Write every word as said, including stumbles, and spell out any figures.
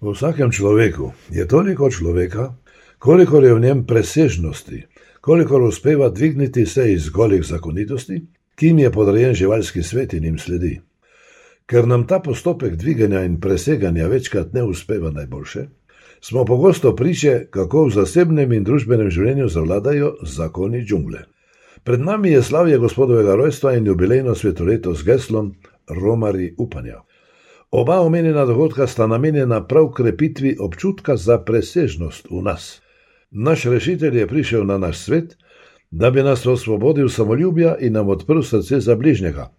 V vsakem človeku je toliko človeka, kolikor je v njem presežnosti, kolikor uspeva dvigniti se iz golih zakonitosti, ki jim je podrejen živalski svet in jim sledi. Ker nam ta postopek dviganja in preseganja večkrat ne uspeva najboljše, smo pogosto priče, kako v zasebnem in družbenem življenju zavladajo zakoni džungle. Pred nami je slavje Gospodovega rojstva in jubilejno svetoleto z geslom Romarji upanja. Oba omenjena dogodka sta namenjena prav krepitvi občutka za presežnost v nas. Naš rešitelj je prišel na naš svet, da bi nas osvobodil samoljubja in nam odprl srce za bližnjega,